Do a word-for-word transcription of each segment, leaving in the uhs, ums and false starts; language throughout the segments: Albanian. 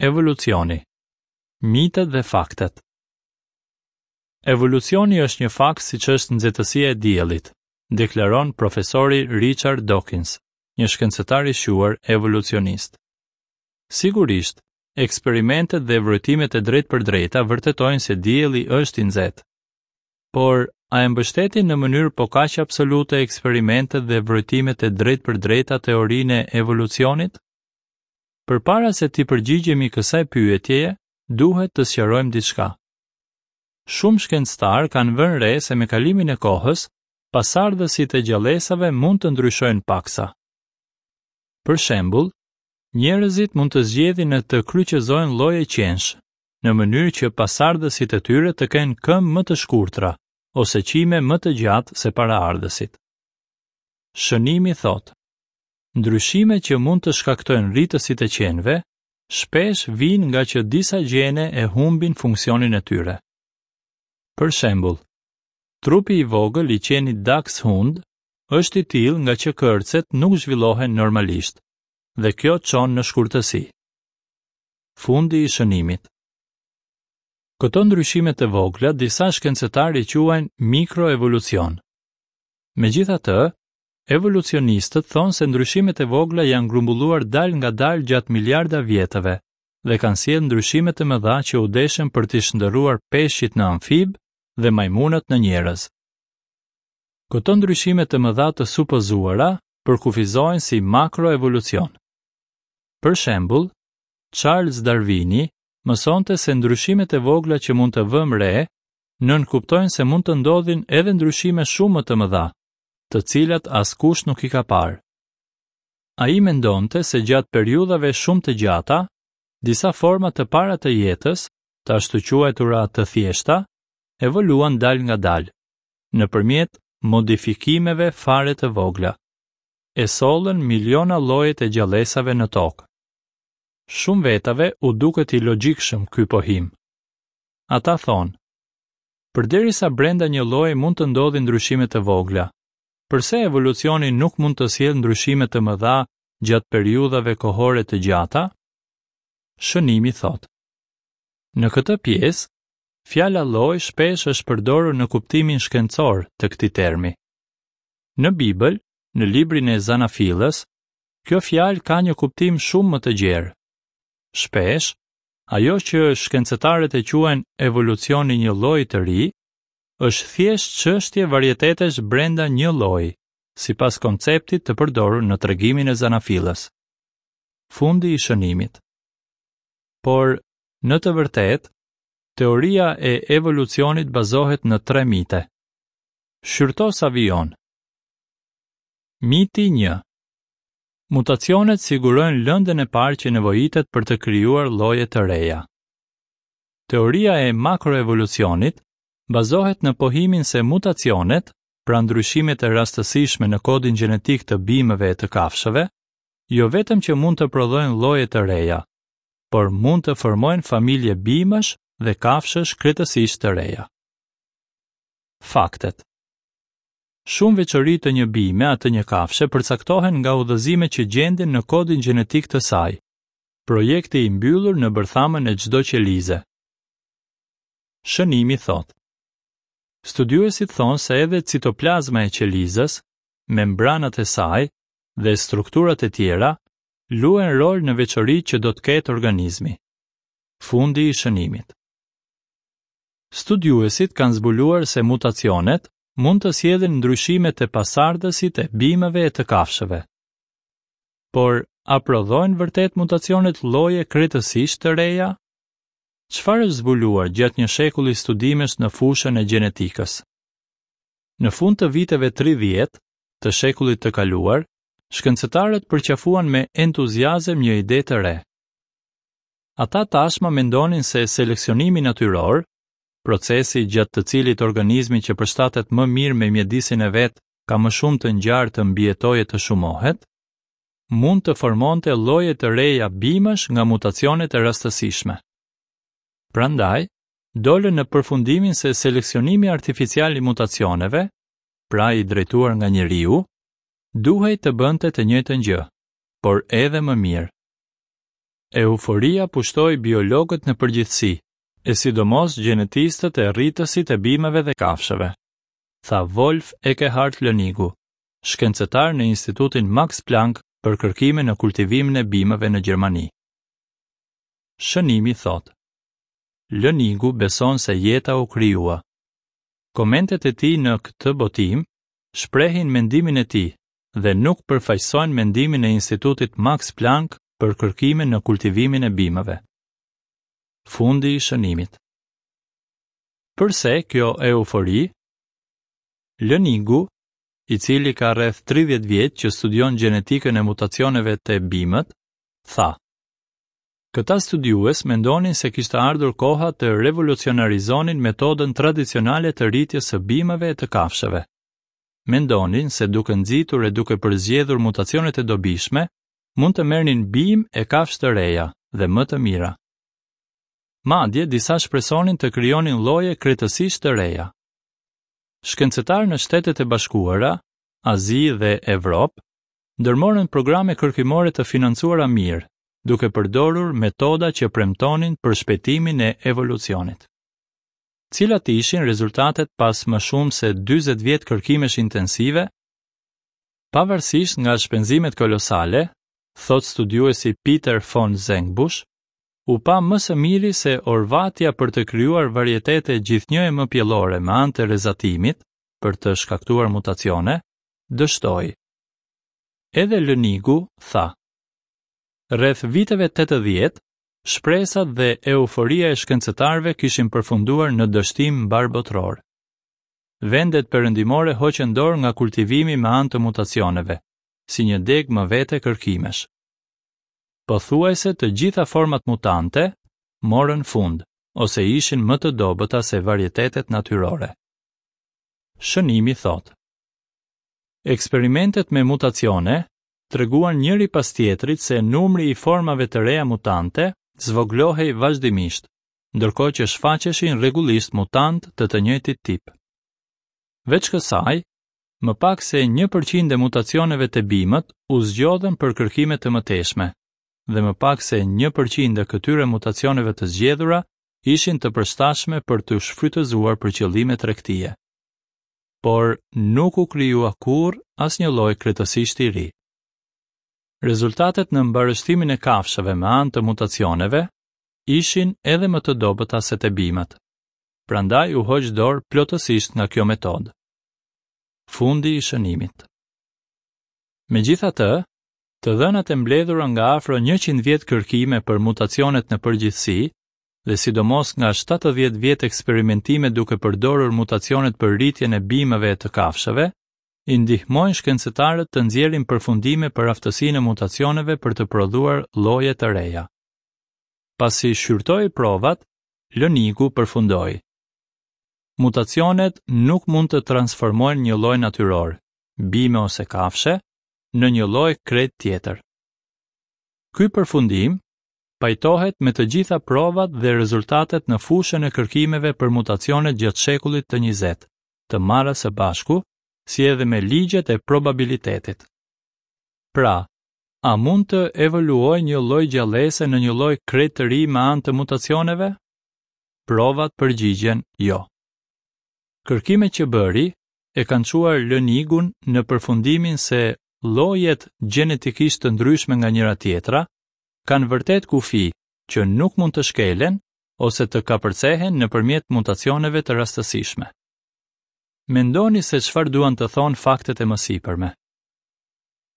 Evolucioni. Mitet dhe faktet. Evolucioni është një fakt siç është nxehtësia e diellit, deklaron profesori Richard Dawkins, një shkencëtar i shquar evolucionist. Sigurisht, eksperimentet dhe vrojtimet e drejtpërdrejta vërtetojnë se dielli është i nxehtë. Por, a e mbështetin në mënyrë po kaq absolute eksperimentet dhe vrojtimet e drejtpërdrejta teorinë e evolucionit? Përpara se t'i përgjigjemi kësaj pyetjeje, duhet të sqarojmë diçka. Shumë shkencëtar kanë vënë re se me kalimin e kohës, pasardhësit e gjallesave mund të ndryshojnë paksa. Për shembull, njerëzit mund të zgjedhin në të kryqëzojnë lloje qensh, në mënyrë që pasardhësit e tyre të kenë këmbë më të shkurtra ose qime më të gjatë se paraardhësit. Shënimi thotë: Ndryshimet që mund të shkaktojnë rritësit e qenve, shpesh vijnë nga që disa gjene e humbin funksionin e tyre. Për shembull, trupi i vogël i qenit Dachshund është i tillë nga që kërcet nuk zhvillohen normalisht, dhe kjo çon në shkurtësi. Fundi i shënimit. Këto ndryshime të vogla disa shkencëtarë i quajnë mikroevolucion. Megjithatë, evolucionistët thonë se ndryshimet e vogla janë grumbulluar dal nga dal gjatë miliarda vjetëve dhe kanë sjellë ndryshime të mëdha që u deshën për t'i shndërruar peshqit në amfib dhe majmunët në njerëz. Këto ndryshime të mëdha të supozuara përkufizohen si makroevolucion. Për shembull, Charles Darwini mësonte se ndryshimet e vogla që mund të vëmë re nënkuptojnë se mund të ndodhin edhe ndryshime shumë më të mëdha, të cilat askush nuk i ka parë. Ai mendonte se gjatë periudhave shumë të gjata, disa forma të para të jetës, të ashtuquajtura të thjeshta, evoluan dal nga dal, nëpërmjet modifikimeve fare të vogla, e sollën miliona llojet e gjallesave në tokë. Shumë vetave u duket i logjikshëm ky pohim. Ata thonë, përderisa brenda një lloji mund të ndodhin ndryshime të vogla, përse evolucioni nuk mund të sjellë ndryshime të mëdha gjatë periudhave kohore të gjata? Shënimi thotë: Në këtë pjesë, fjala lloj shpesh është përdorur në kuptimin shkencor të këtij termi. Në Bibël, në librin e Zanafillës, kjo fjalë ka një kuptim shumë më të gjerë. Shpesh, ajo që shkencëtarët e quajnë evolucioni një lloji të ri, është thjesht çështje varietetesh brenda një lloji, sipas konceptit të përdorur në tregimin e Zanafillës. Fundi i shënimit. Por, në të vërtetë, teoria e evolucionit bazohet në tre mite. Shqyrto sa vijon. Miti një. Mutacionet sigurojnë lëndën e parë që nevojitet për të krijuar lloje të reja. Teoria e makroevolucionit bazohet në pohimin se mutacionet, pra ndryshimet e rastësishme në kodin gjenetik të bimëve e të kafshëve, jo vetëm që mund të prodhojnë lloje të reja, por mund të formojnë familje bimësh dhe kafshësh krejtësisht të reja. Faktet. Shumë veçori të një bime a të një kafshe përcaktohen nga udhëzime që gjenden në kodin gjenetik të saj, projekti i mbyllur në bërthamën e çdo qelize. Shënimi thotë: Studiuesit thonë se edhe citoplazma e qelizës, membranat e saj dhe strukturat e tjera luajnë rol në veçoritë që do të ketë organizmi. Fundi i shënimit. Studiuesit kanë zbuluar se mutacionet mund të sjellin ndryshime te pasardhësit e bimëve e të kafshëve. Por, a prodhojnë vërtet mutacionet lloje krejtësisht të reja? Çfarë është zbuluar gjatë një shekulli studimesh në fushën e gjenetikës? Në fund të viteve tridhjetë të shekullit të kaluar, shkencëtarët përqafuan me entuziazëm një ide të re. Ata tashmë mendonin se seleksionimi natyror, procesi gjatë të cilit organizmi që përshtatet më mirë me mjedisin e vet ka më shumë të ngjarë të mbijetojë e të shumohet, mund të formonte lloje të reja bimësh nga mutacionet e rastësishme. Prandaj, dolën në përfundimin se seleksionimi artificial i mutacioneve, pra i drejtuar nga njeriu, duhej të bënte të njëjtën gjë, por edhe më mirë. Euforia pushtoi biologët në përgjithësi, e sidomos gjenetistët e rritësit e bimëve dhe kafshëve, tha Wolf Ekkehard Lënigu, shkencëtar në Institutin Max Planck për kërkime në kultivimin e bimëve në Gjermani. Shënimi thotë: Lënigu beson se jeta u krijua. Komentet e tij në këtë botim shprehin mendimin e tij dhe nuk përfaqësojnë mendimin e Institutit Max Planck për kërkime në kultivimin e bimëve. Fundi i shënimit. Përse kjo eufori? Lënigu, i cili ka rreth tridhjetë vjet që studion gjenetikën e mutacioneve te bimët, tha: Këta studiues mendonin se kishte ardhur koha të revolucionarizonin metodën tradicionale të rritjes së bimëve e të kafshëve. Mendonin se duke nxitur e duke përzgjedhur mutacionet e dobishme, mund të merrnin bimë e kafshë të reja dhe më të mira. Madje disa shpresonin të krijonin lloje krejtësisht të reja. Shkencëtarë në Shtetet e Bashkuara, Azi dhe Evropë ndërmorën programe kërkimore të financuara mirë, duke përdorur metoda që premtonin përshpejtimin e evolucionit. Cilat ishin rezultatet pas më shumë se dyzet vjet kërkimesh intensive? Pavarësisht nga shpenzimet kolosale, thot studiuesi Peter von Zengbusch, u pa më së miri se orvatja për të krijuar varietete gjithnjë e më pjellore me anë të rrezatimit për të shkaktuar mutacione, dështoi. Edhe Lënigu tha: Rreth viteve tetëdhjetë, shpresat dhe euforia e shkencëtarëve kishin përfunduar në dështim mbarëbotëror. Vendet perëndimore hoqën dorë nga kultivimi me anë të mutacioneve, si një degë më vete kërkimesh. Pothuajse të gjitha format mutante morën fund ose ishin më të dobëta se varietetet natyrore. Shënimi thotë: Eksperimentet me mutacione treguan njëri pas tjetrit se numri i formave të reja mutante zvogëlohej vazhdimisht, ndërkohë që shfaqeshin rregullisht mutant të të njëjtit tip. Veç kësaj, më pak se një përqind e mutacioneve të bimët u zgjodhën për kërkime të mëtejshme, dhe më pak se një përqind e këtyre mutacioneve të zgjedhura ishin të përshtatshme për të shfrytëzuar për qëllime tregtie. Por nuk u krijua kurrë asnjë lloj krejtësisht i ri. Rezultatet në mbarështimin e kafshëve me anë të mutacioneve ishin edhe më të dobëta se te bimët. Prandaj u hoq dorë plotësisht nga kjo metodë. Fundi i shënimit. Megjithatë, të dhënat e mbledhura nga afro njëqind vjet kërkime për mutacionet në përgjithësi dhe sidomos nga shtatëdhjetë vjet eksperimentime duke përdorur mutacionet për rritjen e bimëve e të kafshëve, i ndihmojnë shkencëtarët të nxjerrin përfundime për aftësinë e mutacioneve për të prodhuar lloje të reja. Pasi shqyrtoi provat, Lënigu përfundoi: Mutacionet nuk mund të transformojnë një lloj natyror, bime ose kafshe, në një lloj krejt tjetër. Ky përfundim pajtohet me të gjitha provat dhe rezultatet në fushën e kërkimeve për mutacionet gjatë shekullit të njëzet, të marra së bashku, si edhe me ligjet e probabilitetit. Pra, a mund të evoluojë një lloj gjallese në një lloj krejt të ri me anë të mutacioneve? Provat përgjigjen jo. Kërkimet që bëri e kanë çuar Lënigun në përfundimin se llojet gjenetikisht të ndryshme nga njëra tjetra kanë vërtet kufi që nuk mund të shkelen ose të kapërcehen nëpërmjet mutacioneve të rastësishme. Mendoni se çfarë duan të thonë faktet e mësipërme.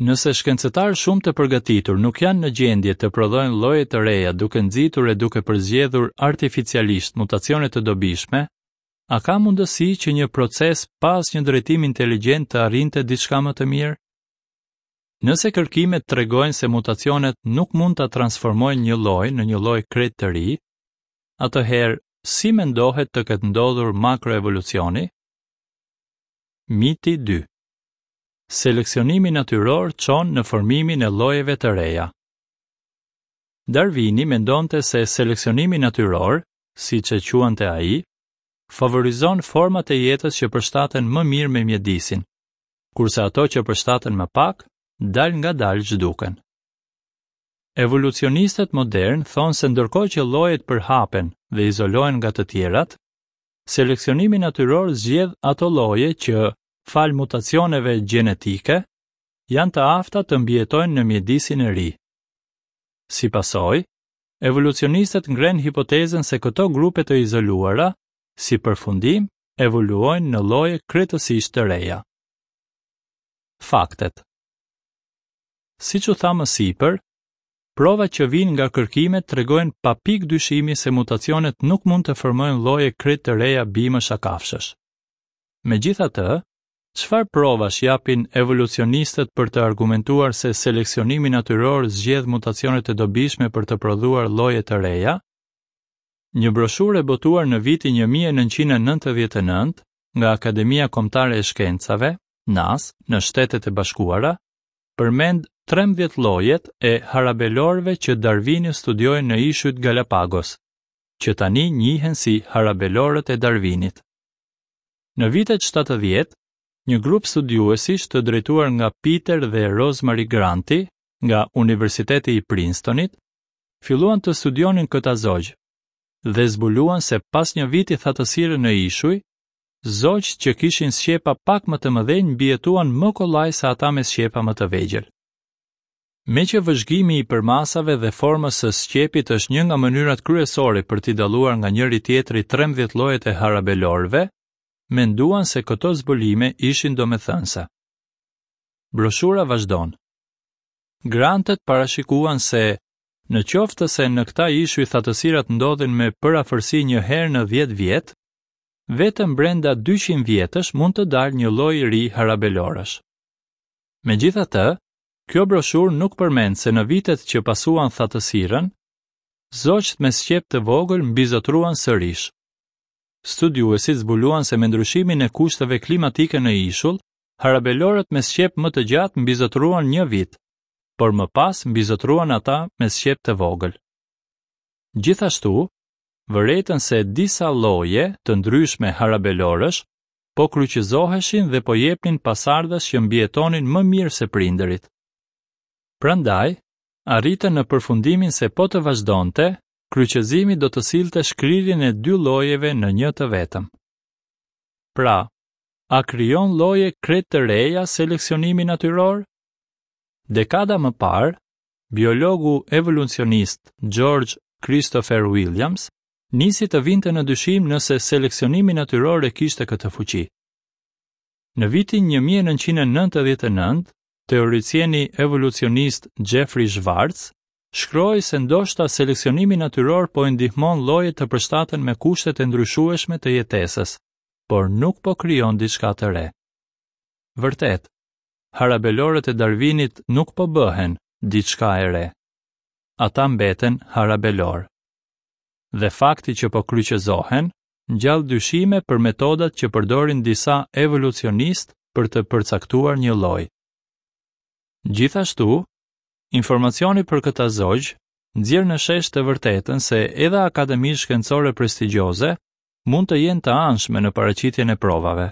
Nëse shkencëtarë shumë të përgatitur nuk janë në gjendje të prodhojnë lloje të reja duke nxitur e duke përzgjedhur artificialisht mutacione të dobishme, a ka mundësi që një proces pa asnjë drejtim inteligjent të arrinte diçka më të mirë? Nëse kërkimet tregojnë se mutacionet nuk mund ta transformojnë një lloj në një lloj krejt të ri, atëherë si mendohet të ketë ndodhur makroevolucioni? Miti dy. Seleksionimi natyror çon në formimin e llojeve të reja. Darwini mendonte se seleksionimi natyror, siç e quante ai, favorizon format e jetës që përshtaten më mirë me mjedisin, kurse ato që përshtaten më pak, dal nga dal zhduken. Evolucionistët modernë thonë se ndërkohë që llojet përhapen dhe izolohen nga të tjerat, seleksionimi natyror zgjedh ato lloje që, falë mutacioneve gjenetike, janë të afta të mbijetojnë në mjedisin e ri. Si pasojë, evolucionistët ngrenë hipotezën se këto grupe të izoluara, si përfundim, evoluojnë në lloje krejtësisht të reja. Faktet. Siç u tha më sipër, provat që vijnë nga kërkimet tregojnë pa pikë dyshimi se mutacionet nuk mund të formojnë lloje krejt të reja bimësh a kafshësh. Megjithatë, çfarë provash japin evolucionistët për të argumentuar se seleksionimi natyror zgjedh mutacionet e dobishme për të prodhuar lloje të reja? Një broshurë e botuar në vitin një mijë e nëntëqind e nëntëdhjetë e nëntë nga Akademia Kombëtare e Shkencave, N A S, në Shtetet e Bashkuara, përmend trembëdhjetë llojet e harabelorëve që Darwini studioi në ishujt Galapagos, që tani njihen si harabelorët e Darwinit. Në vitet shtatëdhjetë, një grup studiuesish të drejtuar nga Peter dhe Rosemary Granti nga Universiteti i Princetonit, filluan të studionin këta zogj dhe zbuluan se pas një viti thatësire në ishuj, zogjt që kishin sqepa pak më të mëdhenj mbijetuan më kollaj se ata me sqepa më të vegjël. Me që vëzhgimi i përmasave dhe formës së sqepit është një nga mënyrat kryesore për t'i dalluar nga njëri tjetri trembëdhjetë llojet e harabelorëve, menduan se këto zbulime ishin domethënëse. Broshura vazhdon. Grantët parashikuan se, në qoftë se në këta ishuj thatësirat ndodhin me përafërsi një herë në dhjetë vjet, vetëm brenda dyqind vjetësh mund të dalë një lloj i ri harabelorësh. Megjithatë, kjo broshurë nuk përmend se në vitet që pasuan thatësirën, zogjt me sqep të vogël mbizotruan sërish. Studiuesit zbuluan se me ndryshimin e kushteve klimatike në ishull, harabelorët me sqep më të gjatë mbizotruan një vit, por më pas mbizotruan ata me sqep të vogël. Gjithashtu, vërejtën se disa lloje të ndryshme harabelorësh po kryqëzoheshin dhe po jepnin pasardhës që mbijetonin më mirë se prindërit. Prandaj, arritën në përfundimin se po të vazhdonte, kryqëzimi do të sillte shkrirjen e dy llojeve në një të vetëm. Pra, a krijon lloje krejt të reja seleksionimi natyror? Dekada më parë, biologu evolucionist George Christopher Williams nisi të vinte në dyshim nëse seleksionimi natyror e kishte këtë fuqi. Në vitin një mijë e nëntëqind e nëntëdhjetë e nëntë, teoricieni evolucionist Jeffrey Schwartz shkroi se ndoshta seleksionimi natyror po i ndihmon llojet të përshtaten me kushtet e ndryshueshme të jetesës, por nuk po krijon diçka të re. Vërtet, harabelorët e Darwinit nuk po bëhen diçka e re. Ata mbeten harabelor. Dhe fakti që po kryqëzohen ngjall dyshime për metodat që përdorin disa evolucionistë për të përcaktuar një lloj. Gjithashtu, informacioni për këta zogj nxjerr në shesh të vërtetën se edhe akademitë shkencore prestigjioze mund të jenë të anshme në paraqitjen e provave.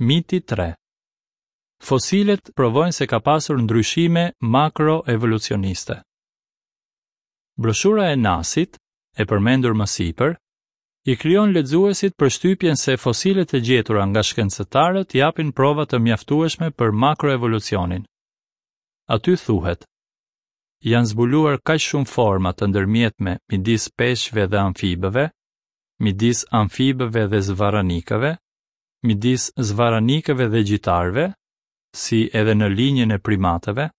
Miti tre. Fosilet provojnë se ka pasur ndryshime makroevolucioniste. Broshura e N A S-it, e përmendur më sipër, i krijon lexuesit përshtypjen se fosilet e gjetura nga shkencëtarët japin prova të mjaftueshme për makroevolucionin. Aty thuhet: janë zbuluar kaq shumë forma të ndërmjetme midis peshqve dhe amfibëve, midis amfibëve dhe zvaranikëve, midis zvaranikëve dhe gjitarëve, si edhe në linjën e primatëve,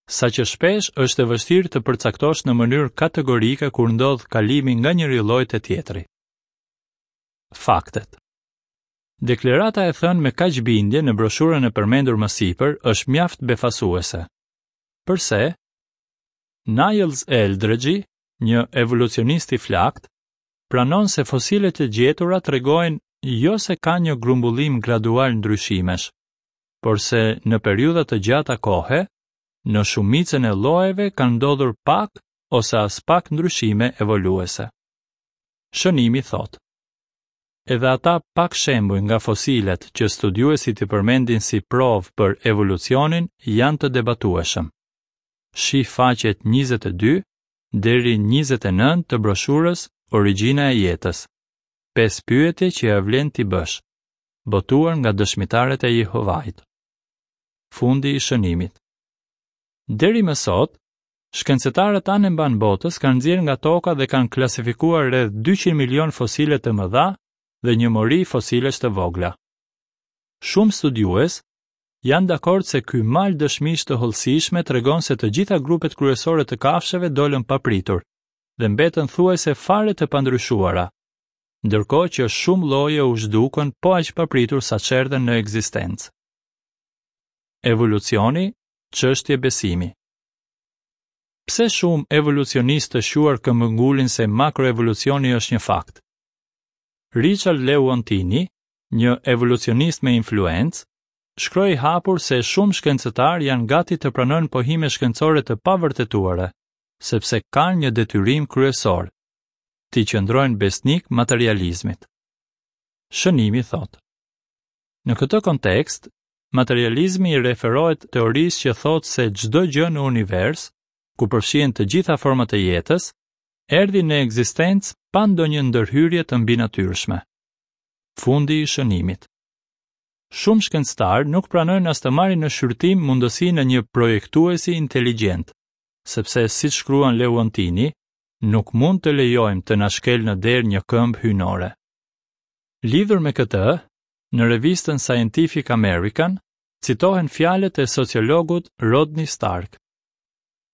sa që shpesh është e vështirë të përcaktosh në mënyrë kategorike kur ndodh kalimi nga njëri lloj te tjetri. Faktet. Deklarata e thënë me kaq bindje në broshurën e përmendur më sipër është mjaft befasuese. Përse? Niles Eldredge, një evolucionist i flakt, pranon se fosilet e gjetura tregojnë jo se ka një grumbullim gradual ndryshimesh, por se në periudha të gjata kohe, në shumicën e llojeve kanë ndodhur pak ose as pak ndryshime evoluese. Shënimi thotë: edhe ata pak shembuj nga fosilet që studiuesit i përmendin si provë për evolucionin janë të debatueshëm. Shih faqet njëzet e dy deri njëzet e nëntë të broshurës Origjina e jetës. Pesë pyetje që ia vlen t'i bësh. Botuar nga Dëshmitarët e Jehovait. Fundi i shënimit. Deri më sot, shkencëtarët anembanë botës kanë nxjerrë nga toka dhe kanë klasifikuar rreth dyqind milion fosile të mëdha dhe një mori fosilesh të vogla. Shumë studiues janë dakord se ky mal dëshmish të hollësishme tregon se të gjitha grupet kryesore të kafshëve dolën papritur dhe mbetën thuajse fare të pandryshuara, ndërkohë që shumë lloje u zhdukën po aq papritur sa çerdhen në ekzistencë. Evolucioni, çështje besimi. Pse shumë evolucionistë të shquar këmbëngulin se makroevolucioni është një fakt? Richard Lewontin, një evolucionist me influencë, shkroi hapur se shumë shkencëtar janë gati të pranojnë pohime shkencore të pavërtetuara, sepse kanë një detyrim kryesor, t'i qëndrojnë besnik materializmit. Shënimi thotë: Në këtë kontekst, materializmi i referohet teorisë që thotë se çdo gjë në univers, ku përfshihen të gjitha format e jetës, erdhi në ekzistencë pa ndonjë ndërhyrje të mbinatyrshme. Fundi i shënimit. Shumë shkencëtar nuk pranojnë as të marrin në shqyrtim mundësinë e një projektuesi inteligjent, sepse siç shkruan Leontini, nuk mund të lejojmë të na shkel në derë një këmbë hyjnore. Lidhur me këtë, në revistën Scientific American citohen fjalët e sociologut Rodney Stark.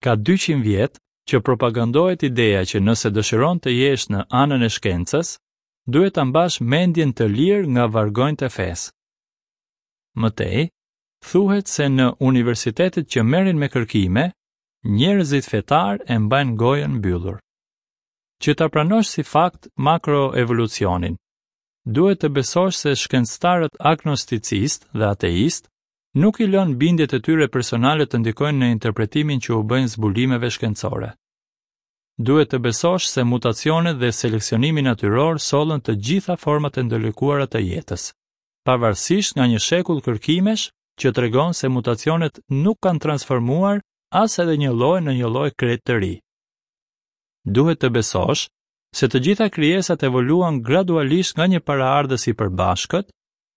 Ka dyqind vjet që propagandohet ideja që nëse dëshiron të jesh në anën e shkencës, duhet ta mbash mendjen të lirë nga vargonjtë e fesë. Më tej, thuhet se në universitetet që merren me kërkime, njerëzit fetar e mbajnë gojën mbyllur. Që ta pranosh si fakt makroevolucionin, duhet të besosh se shkencëtarët agnosticist dhe ateist nuk i lënë bindjet e tyre personale të ndikojnë në interpretimin që u bëjnë zbulimeve shkencore. Duhet të besosh se mutacionet dhe seleksionimi natyror sollën të gjitha format e ndërlikuara të jetës, pavarësisht nga një shekull kërkimesh që tregon se mutacionet nuk kanë transformuar as edhe një lloj në një lloj krejt të ri. Duhet të besosh se të gjitha krijesat evoluan gradualisht nga një paraardhës i përbashkët,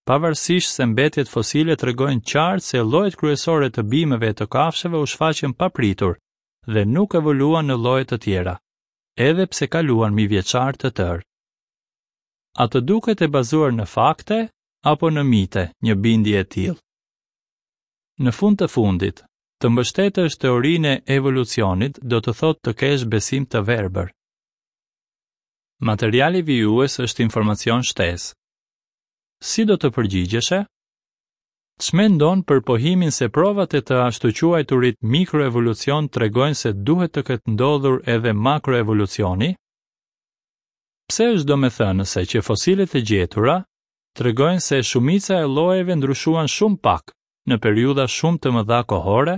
pavarësisht se mbetjet fosile tregojnë qartë se llojet kryesore të bimëve e të kafshëve u shfaqën papritur dhe nuk evoluan në lloje të tjera, edhe pse kaluan mijëvjeçar të tërë. A të duket e bazuar në fakte apo në mite një bindje e tillë? Në fund të fundit, të mbështetësh teorinë e evolucionit do të thotë të kesh besim të verbër. Materiali vijues është informacion shtesë. Si do të përgjigjeshe? Ç'mendon për pohimin se provat e të ashtuquajturit mikroevolucion tregojnë se duhet të ketë ndodhur edhe makroevolucioni? Pse është domethënëse që fosilet e gjetura tregojnë se shumica e llojeve ndryshuan shumë pak në periudha shumë të mëdha kohore?